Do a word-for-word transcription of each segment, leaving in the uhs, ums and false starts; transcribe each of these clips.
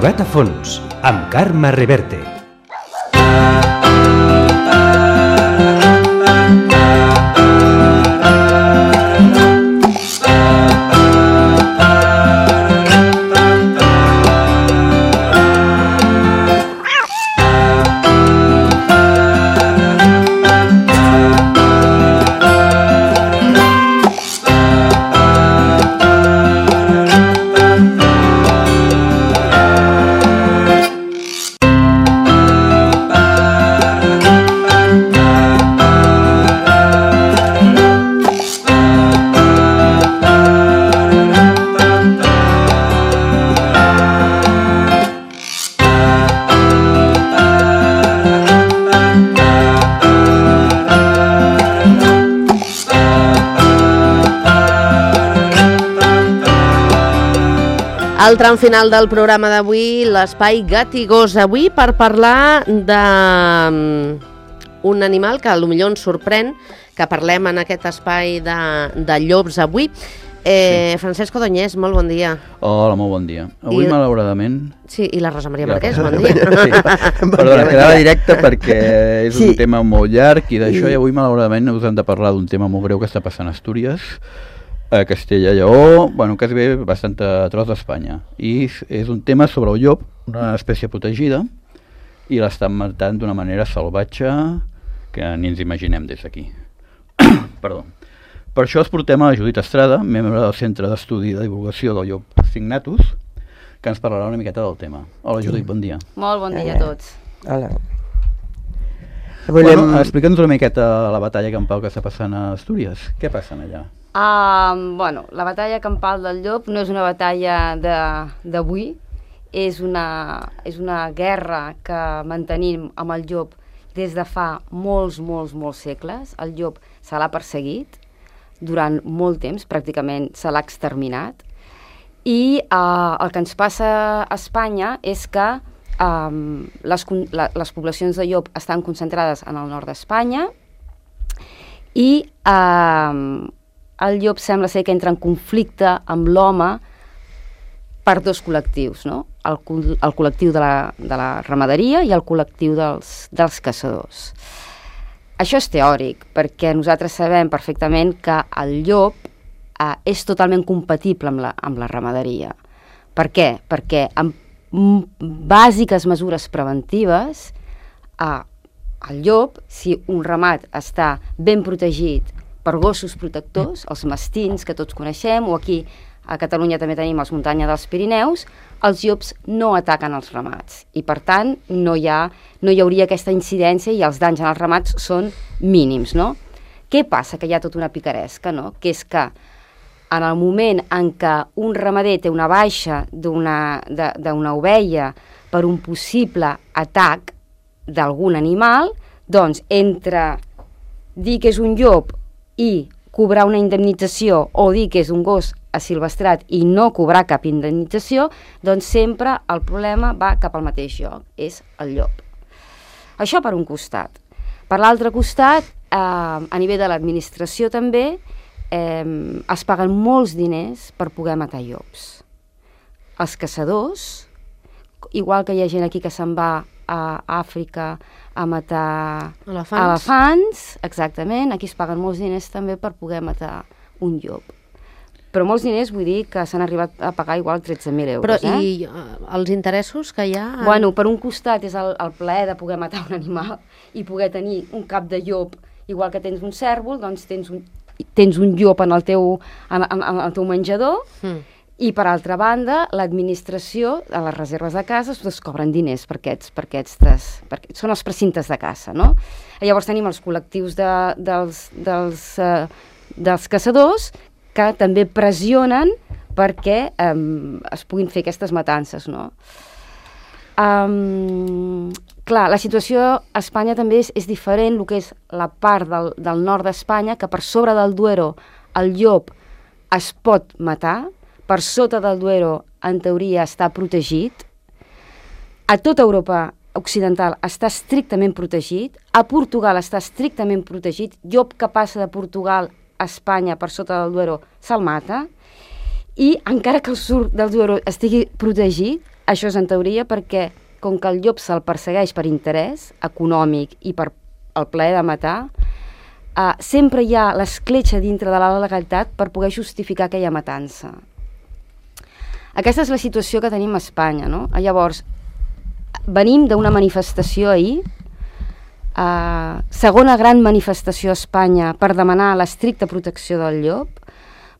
Jugat a fons, amb Carme Reverte. El tram final del programa d'avui, l'espai Gat i Gos, avui per parlar d'un animal que potser ens sorprèn, que parlem en aquest espai de, de llops avui. Eh, sí. Francesc Codonyès, molt bon dia. Hola, molt bon dia. Avui, I... malauradament... Sí, i la Rosa Maria Marquès, bon dia. Sí. Perdona, quedava directe perquè és sí. un tema molt llarg i d'això, i avui, malauradament, us hem de parlar d'un tema molt greu que està passant a Astúries, a Castella i Lleó, bueno, quasi bé bastant a tros d'Espanya. I és un tema sobre el llop, una espècie protegida, i l'estan matant d'una manera salvatge que ni ens imaginem des d'aquí. Perdó. Per això es portem a la Judit Estrada, membre del Centre d'Estudi de Divulgació del Llop Signatus, que ens parlarà una miqueta del tema. Hola, Judit, bon dia. Molt bon dia a tots. Hola. Volem... Bueno, explica'ns una miqueta la batalla campal que està passant a Astúries. Què passa allà? Uh, bueno, la batalla campal del llop no és una batalla d'avui, és una, és una guerra que mantenim amb el llop des de fa molts, molts, molts segles. El llop se l'ha perseguit durant molt temps, pràcticament se l'ha exterminat, i uh, el que ens passa a Espanya és que um, les, la, les poblacions de llop estan concentrades en el nord d'Espanya i uh, el llop sembla ser que entra en conflicte amb l'home per dos col·lectius, no? El, el col·lectiu de la, de la ramaderia i el col·lectiu dels, dels caçadors. Això és teòric, perquè nosaltres sabem perfectament que el llop eh, és totalment compatible amb la, amb la ramaderia. Per què? Perquè amb bàsiques mesures preventives, eh, el llop, si un ramat està ben protegit per gossos protectors, els mastins que tots coneixem, o aquí a Catalunya també tenim els muntanya dels Pirineus, els llops no ataquen els ramats i per tant no hi ha, no hi hauria aquesta incidència i els danys en els ramats són mínims, no? Què passa? Que hi ha tota una picaresca, no? Que és que en el moment en què un ramader té una baixa d'una d'una ovella per un possible atac d'algun animal, doncs entre dir que és un llop i cobrar una indemnització o dir que és un gos asilvestrat i no cobrar cap indemnització, doncs sempre el problema va cap al mateix lloc, és el llop. Això per un costat. Per l'altre costat, eh, a nivell de l'administració també, eh, es paguen molts diners per poder matar llops. Els caçadors, igual que hi ha gent aquí que se'n va a Àfrica a matar elefants. elefants, exactament, aquí es paguen molts diners també per poder matar un llop. Però molts diners vull dir que s'han arribat a pagar igual tretze mil euros. Però eh? i uh, els interessos que hi ha? Bueno, per un costat és el, el plaer de poder matar un animal i poder tenir un cap de llop, igual que tens un cèrvol, doncs tens un, tens un llop en el teu, en, en, en el teu menjador, mm. I per altra banda, l'administració a les reserves de cases doncs, cobren diners per aquests, per aquests, perquè són els precintes de caça, no? Llavors tenim els col·lectius de, dels, dels, uh, dels caçadors que també pressionen perquè um, es puguin fer aquestes matances, no? Um, clar, la situació a Espanya també és, és diferent, el que és la part del, del nord d'Espanya, que per sobre del Duero el llop es pot matar, per sota del Duero, en teoria, està protegit. A tota Europa occidental està estrictament protegit. A Portugal està estrictament protegit. Llop que passa de Portugal a Espanya per sota del Duero se'l mata. I encara que el sud del Duero estigui protegit, això és en teoria perquè, com que el llop se'l persegueix per interès econòmic i per el plaer de matar, uh, sempre hi ha l'escletxa dintre de la legalitat per poder justificar aquella matança. Aquesta és la situació que tenim a Espanya, no? Llavors, venim d'una manifestació ahir, uh, segona gran manifestació a Espanya per demanar l'estricta protecció del llop,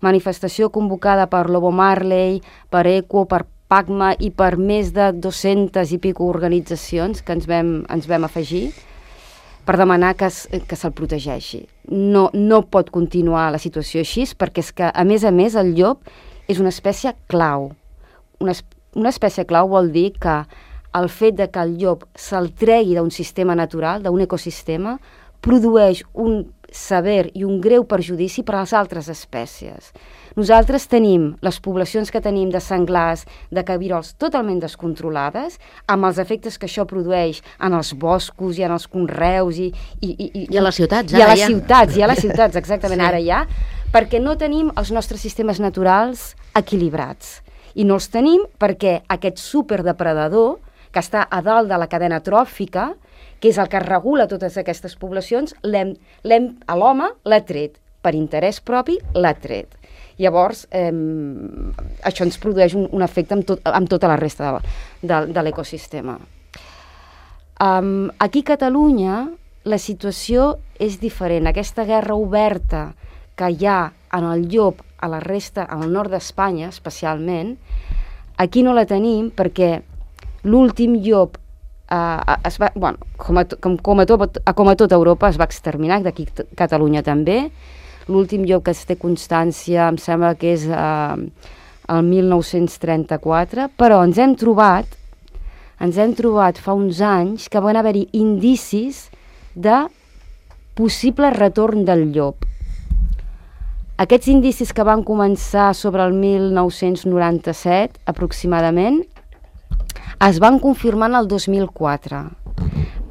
manifestació convocada per Lobo Marley, per ECO, per PACMA i per més de dues-centes i pico organitzacions que ens vam, ens vam afegir per demanar que, es, que se'l protegeixi. No, no pot continuar la situació així perquè és que, a més a més, el llop és una espècie clau. Una, una espècie clau vol dir que el fet de que el llop se'l tregui d'un sistema natural, d'un ecosistema, produeix un sever i un greu perjudici per a les altres espècies. Nosaltres tenim les poblacions que tenim de senglars, de cabirols totalment descontrolades, amb els efectes que això produeix en els boscos i en els conreus i, i, i, I a les ciutats. I a les ciutats, i a les ciutats, exactament, sí. Ara ja, perquè no tenim els nostres sistemes naturals equilibrats. I no els tenim perquè aquest superdepredador, que està a dalt de la cadena tròfica, que és el que regula totes aquestes poblacions, l'hem, l'hem, a l'home l'ha tret. Per interès propi l'ha tret. Llavors, eh, això ens produeix un, un efecte amb, tot, amb tota la resta de, de, de l'ecosistema. Um, aquí a Catalunya la situació és diferent. Aquesta guerra oberta que hi ha en el llop a la resta, al nord d'Espanya especialment, aquí no la tenim perquè l'últim llop Uh, es va, bueno, com, a, com, com, a tot, com a tot Europa es va exterminar, d'aquí a Catalunya també. L'últim llop que es té constància em sembla que és uh, el mil nou-cents trenta-quatre, però ens hem trobat ens hem trobat fa uns anys que van haver-hi indicis de possible retorn del llop. Aquests indicis que van començar sobre el mil nou-cents noranta-set aproximadament es van confirmar en el dos mil quatre.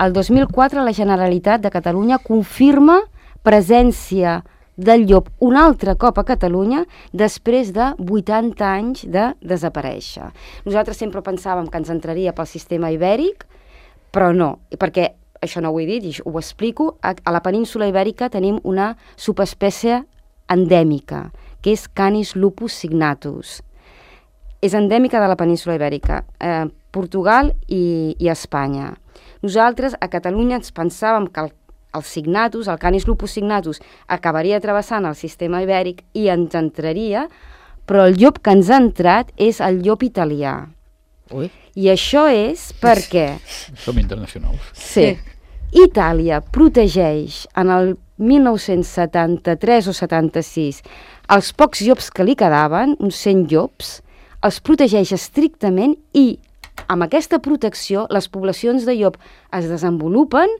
El dos mil quatre la Generalitat de Catalunya confirma presència del llop un altre cop a Catalunya després de vuitanta anys de desaparèixer. Nosaltres sempre pensàvem que ens entraria pel sistema ibèric, però no, perquè, això no ho he dit i ho explico, a, a la península ibèrica tenim una subespècie endèmica, que és Canis lupus signatus. És endèmica de la península ibèrica, eh, Portugal i, i Espanya. Nosaltres a Catalunya ens pensàvem que el, el signatus, el Canis lupus signatus, acabaria travessant el sistema ibèric i ens entraria, però el llop que ens ha entrat és el llop italià. Ui. I això és perquè... Som internacionals. Sí. Itàlia protegeix en el mil nou-cents setanta-tres o setanta-sis els pocs llops que li quedaven, uns cent llops, els protegeix estrictament i amb aquesta protecció les poblacions de llop es desenvolupen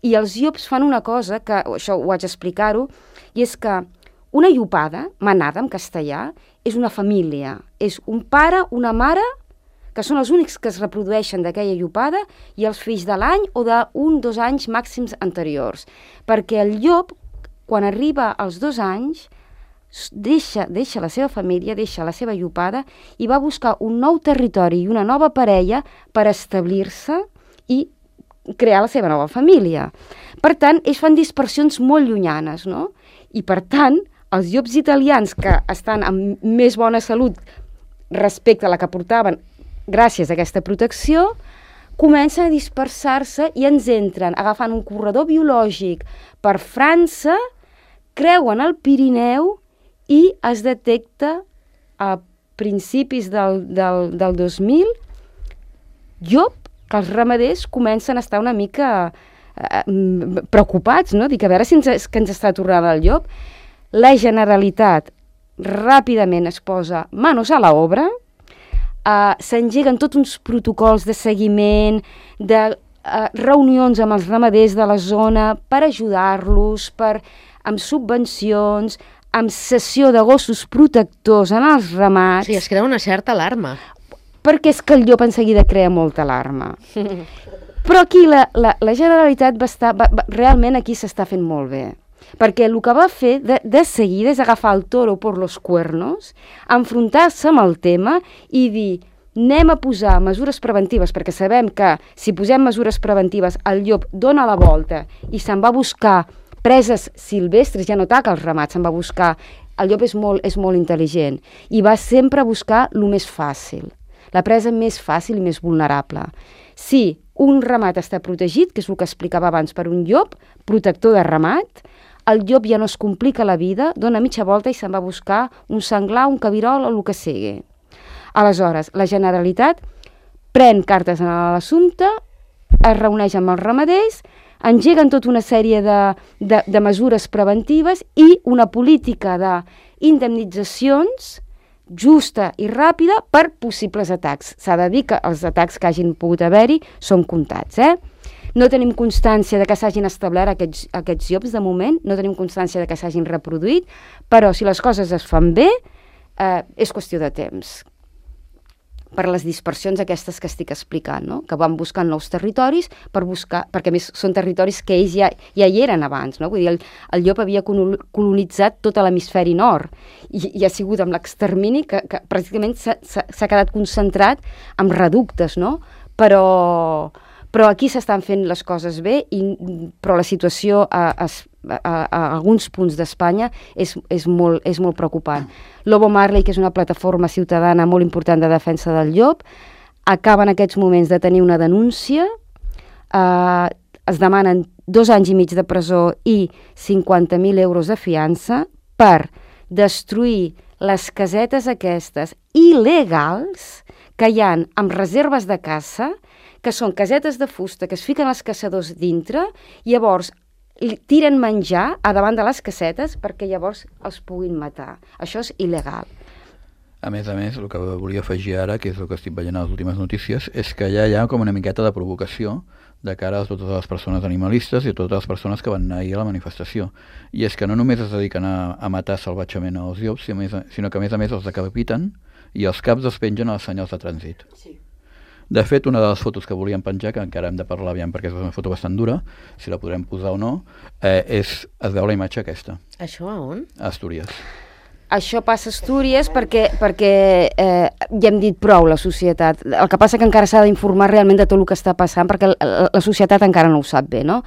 i els llops fan una cosa, que això ho haig d'explicar-ho, i és que una llopada, manada en castellà, és una família, és un pare, una mare, que són els únics que es reprodueixen d'aquella llopada i els fills de l'any o d'un, dos anys màxims anteriors. Perquè el llop, quan arriba als dos anys, Deixa, deixa la seva família, deixa la seva llopada i va buscar un nou territori i una nova parella per establir-se i crear la seva nova família. Per tant, ells fan dispersions molt llunyanes, no? I per tant, els llops italians que estan amb més bona salut respecte a la que portaven gràcies a aquesta protecció, comencen a dispersar-se i ens entren agafant un corredor biològic per França, creuen el Pirineu i es detecta a principis del, del, del dos mil llop que els ramaders comencen a estar una mica eh, preocupats, no? Dic, a veure si ens, que ens està tornant el llop. La Generalitat ràpidament es posa manos a la obra, eh, s'engeguen tots uns protocols de seguiment, de eh, reunions amb els ramaders de la zona per ajudar-los, per, amb subvencions, amb cessió de gossos protectors en els ramats... Sí, es crea una certa alarma. Perquè és que el llop en seguida crea molta alarma. Però aquí la, la, la Generalitat va estar... Va, va, realment aquí s'està fent molt bé. Perquè el que va fer de, de seguida és agafar el toro por los cuernos, enfrontar-se amb el tema i dir anem a posar mesures preventives, perquè sabem que si posem mesures preventives el llop dona la volta i se'n va a buscar preses silvestres, ja no ataca els ramats, se'n va a buscar... El llop és molt, és molt intel·ligent i va sempre a buscar el més fàcil, la presa més fàcil i més vulnerable. Si un ramat està protegit, que és el que explicava abans, per un llop, protector de ramat, el llop ja no es complica la vida, dona mitja volta i se'n va a buscar un senglar, un cabirol o el que sigui. Aleshores, la Generalitat pren cartes en l'assumpte, es reuneix amb els ramaders, engeguen tota una sèrie de, de, de mesures preventives i una política d'indemnitzacions justa i ràpida per possibles atacs. S'ha de dir que els atacs que hagin pogut haver-hi són comptats, eh? No tenim constància de que s'hagin establert aquests, aquests llops de moment, no tenim constància de que s'hagin reproduït, però si les coses es fan bé, eh, és qüestió de temps. Per les dispersions aquestes que estic explicant, no? Que van buscant nous territoris per buscar, perquè a més són territoris que ells ja, ja hi eren abans, no? Vull dir, el, el llop havia colonitzat tot l'hemisferi nord i, i ha sigut amb l'extermini que, que pràcticament s'ha quedat concentrat en reductes, no? Però, però aquí s'estan fent les coses bé, i, però la situació a, a, a, a alguns punts d'Espanya és, és, molt, és molt preocupant. Lobo Marley, que és una plataforma ciutadana molt important de defensa del llop, acaba en aquests moments de tenir una denúncia, eh, es demanen dos anys i mig de presó i cinquanta mil euros de fiança per destruir les casetes aquestes il·legals que hi ha amb reserves de caça, que són casetes de fusta que es fiquen els caçadors dintre i llavors tiren menjar a davant de les casetes perquè llavors els puguin matar. Això és il·legal. A més a més, el que volia afegir ara, que és el que estic veient a les últimes notícies, és que ja hi ha com una miqueta de provocació de cara a totes les persones animalistes i a totes les persones que van anar ahir a la manifestació. I és que no només es dediquen a, a matar salvatgement els llops, sinó que a més a més els decapiten i els caps els pengen a les senyals de trànsit. Sí. De fet, una de les fotos que volíem penjar, que encara hem de parlar aviam perquè és una foto bastant dura, si la podrem posar o no, eh, és, es veu la imatge aquesta. Això a on? A Astúries. Això passa a Astúries perquè, perquè eh, ja hem dit prou la societat. El que passa que encara s'ha d'informar realment de tot el que està passant perquè la, la societat encara no ho sap bé, no?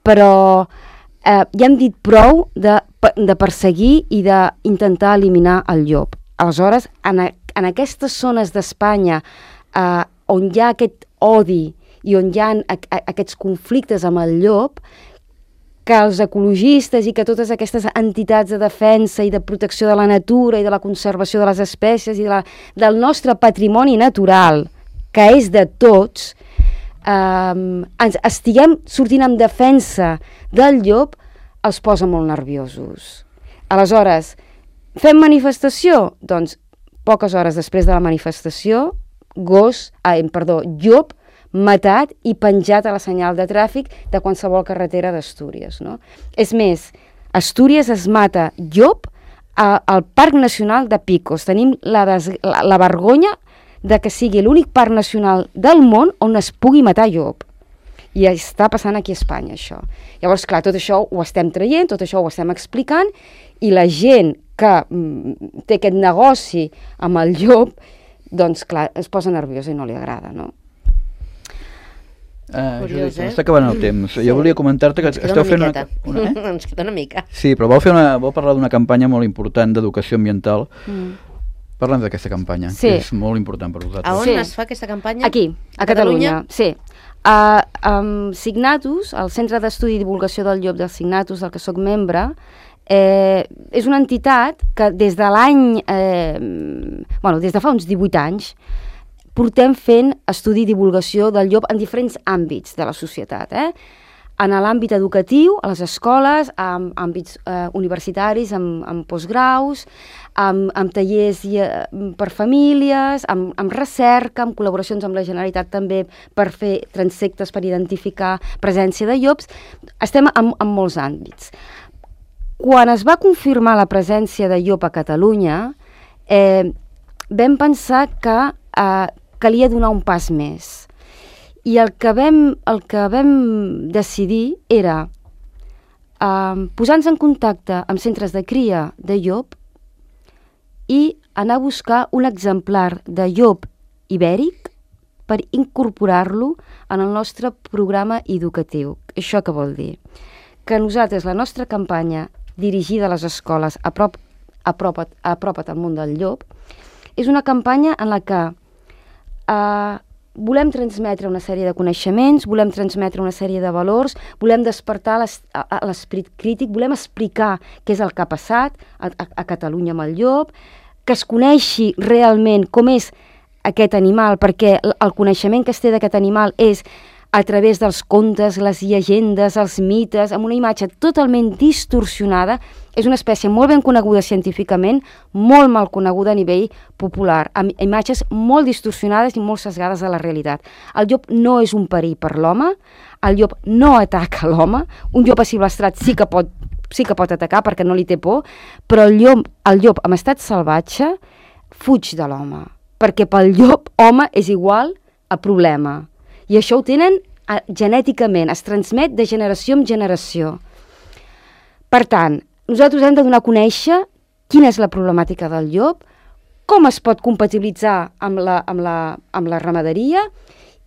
Però eh, ja hem dit prou de, de perseguir i d'intentar eliminar el llop. Aleshores, en, en aquestes zones d'Espanya eh, on hi ha aquest odi i on hi ha aquests conflictes amb el llop, que els ecologistes i que totes aquestes entitats de defensa i de protecció de la natura i de la conservació de les espècies i de la, del nostre patrimoni natural, que és de tots, eh, ens estiguem sortint en defensa del llop, els posa molt nerviosos. Aleshores, fem manifestació? Doncs poques hores després de la manifestació, gos, eh, perdó, llop matat i penjat a la senyal de tràfic de qualsevol carretera d'Astúries, no? És més, Astúries es mata llop a, al Parc Nacional de Picos. Tenim la, des, la, la vergonya de que sigui l'únic parc nacional del món on es pugui matar llop. I està passant aquí a Espanya, això. Llavors, clar, tot això ho estem traient, tot això ho estem explicant, i la gent que mm, té aquest negoci amb el llop, doncs, clar, es posa nerviosa i no li agrada, no? Uh, Judit, eh? Està acabant el temps. Sí. Jo volia comentar-te que esteu fent una... una eh? Ens queda una mica. Sí, però vau, fer una, vau parlar d'una campanya molt important d'educació ambiental. Mm. Parla'ns d'aquesta campanya, sí, que és molt important per vosaltres. A on sí. es fa aquesta campanya? Aquí, a, a Catalunya. Catalunya. Sí. Uh, um, Signatus, el Centre d'Estudi i Divulgació del Llop del Signatus, del que soc membre, Eh, és una entitat que des de l'any, eh, bueno, des de fa uns divuit anys, portem fent estudi i divulgació del llop en diferents àmbits de la societat, eh? En l'àmbit educatiu, a les escoles, en àmbits eh, universitaris, amb, amb postgraus, amb, amb tallers i, eh, per famílies, amb, amb recerca, amb col·laboracions amb la Generalitat també per fer transectes per identificar presència de llops. Estem en, en molts àmbits. Quan es va confirmar la presència de llop a Catalunya, eh, vam pensar que eh, calia donar un pas més. I el que vam, el que vam decidir era eh, posar-nos en contacte amb centres de cria de llop i anar a buscar un exemplar de llop ibèric per incorporar-lo en el nostre programa educatiu. Això què vol dir? Que nosaltres, la nostra campanya dirigida a les escoles Aprop, apropa't, apropa't al món del llop, és una campanya en la que eh, volem transmetre una sèrie de coneixements, volem transmetre una sèrie de valors, volem despertar l'esperit crític, volem explicar què és el que ha passat a, a, a Catalunya amb el llop, que es coneixi realment com és aquest animal, perquè el coneixement que es té d'aquest animal és a través dels contes, les llegendes, els mites, amb una imatge totalment distorsionada. És una espècie molt ben coneguda científicament, molt mal coneguda a nivell popular, amb imatges molt distorsionades i molt sesgades de la realitat. El llop no és un perill per l'home, el llop no ataca l'home, un llop asilvestrat sí que pot, sí que pot atacar perquè no li té por, però el llop, el llop en estat salvatge fuig de l'home, perquè pel llop home és igual a problema. I això ho tenen eh, genèticament, es transmet de generació en generació. Per tant, nosaltres hem de donar a conèixer quina és la problemàtica del llop, com es pot compatibilitzar amb la, amb la, amb la ramaderia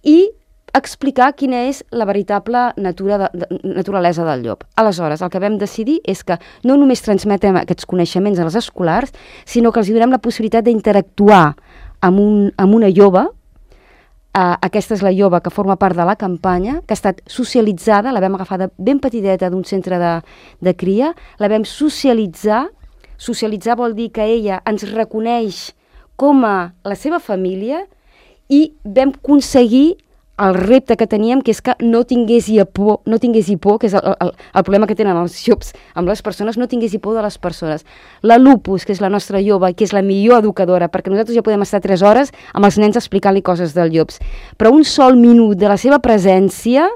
i explicar quina és la veritable natura de, de, naturalesa del llop. Aleshores, el que vam decidir és que no només transmetem aquests coneixements a les escolars, sinó que els donem la possibilitat d'interactuar amb, un, amb una lloba. Uh, aquesta és la lloba que forma part de la campanya, que ha estat socialitzada, la vam agafar de ben petiteta d'un centre de, de cria, la vam socialitzar. Socialitzar vol dir que ella ens reconeix com a la seva família i vam aconseguir el repte que teníem, que és que no tinguessi por, no tinguessi por, que és el, el, el problema que tenen els llops amb les persones, no tinguessi por de les persones. La Lupus, que és la nostra lloba, que és la millor educadora, perquè nosaltres ja podem estar tres hores amb els nens explicant-li coses dels llops, però un sol minut de la seva presència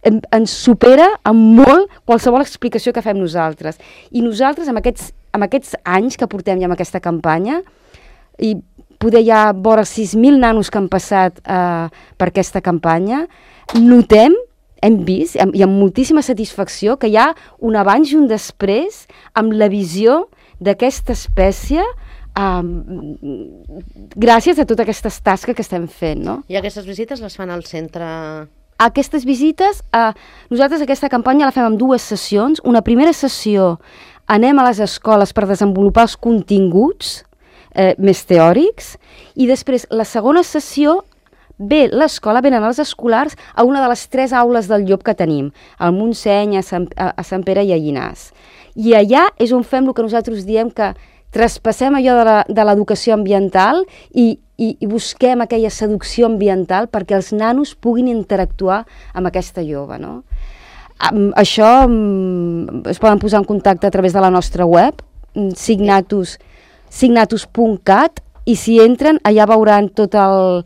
ens supera amb molt qualsevol explicació que fem nosaltres. I nosaltres, amb aquests, amb aquests anys que portem ja amb aquesta campanya, i poder hi ha vora sis mil nanos que han passat eh, per aquesta campanya, notem, hem vist, i amb moltíssima satisfacció, que hi ha un abans i un després amb la visió d'aquesta espècie eh, gràcies a totes aquestes tasques que estem fent, no? I aquestes visites les fan al centre? Aquestes visites, eh, nosaltres aquesta campanya la fem en dues sessions. Una primera sessió anem a les escoles per desenvolupar els continguts Eh, més teòrics, i després la segona sessió ve l'escola, venen els escolars a una de les tres aules del llop que tenim, al Montseny, a Sant, a, a Sant Pere i a Llinars. I allà és on fem el que nosaltres diem que traspassem allò de l'educació ambiental i, i, i busquem aquella seducció ambiental perquè els nanos puguin interactuar amb aquesta lloba, no? Um, això um, es poden posar en contacte a través de la nostra web, signatus signatus punt cat, i si entren allà veuran tot el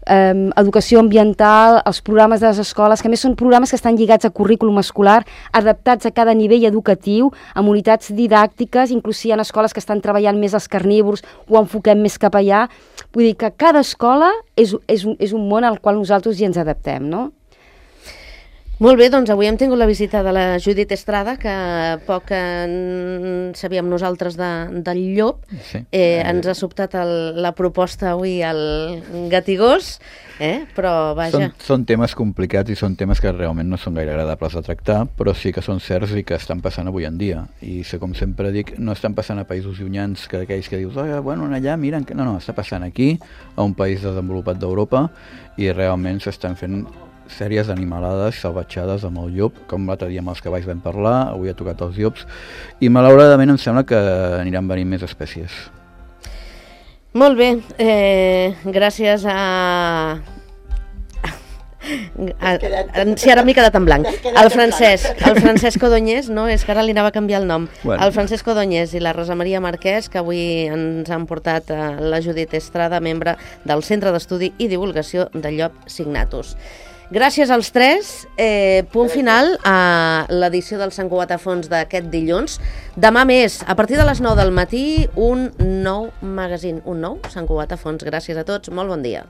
eh, educació ambiental, els programes de les escoles, que a més són programes que estan lligats a currículum escolar, adaptats a cada nivell educatiu, amb unitats didàctiques, inclús hi ha escoles que estan treballant més els carnívors, ho enfoquem més cap allà. Vull dir que cada escola és, és, un, és un món al qual nosaltres ja ens adaptem, no? Molt bé, doncs avui hem tingut la visita de la Judit Estrada, que poc en sabíem nosaltres de, del llop. Sí. Eh, ens ha sobtat el, la proposta avui al Gatigós, eh? Però vaja... Són, són temes complicats i són temes que realment no són gaire agradables de tractar, però sí que són certs i que estan passant avui en dia. I com sempre dic, no estan passant a països llunyans, que aquells que dius, oh, bueno, allà, miren... No, no, està passant aquí, a un país desenvolupat d'Europa, i realment s'estan fent sèries d'animalades salvatjades amb el llop, com l'altre dia amb els cavalls vam parlar, avui ha tocat els llops, i malauradament em sembla que aniran venint més espècies. Molt bé, eh, gràcies a... a... Sí, ara m'he quedat en blanc. El Francesc, el Francesc Codonyès, no, és que ara li anava a canviar el nom. Bueno. El Francesc Codonyès i la Rosa Maria Marquès, que avui ens han portat a la Judit Estrada, membre del Centre d'Estudi i Divulgació del Llop Signatus. Gràcies als tres, eh, punt final a l'edició del Sant Cugat a Fons d'aquest dilluns. Demà més, a partir de les nou del matí, un nou magazín, un nou Sant Cugat a Fons. Gràcies a tots, molt bon dia.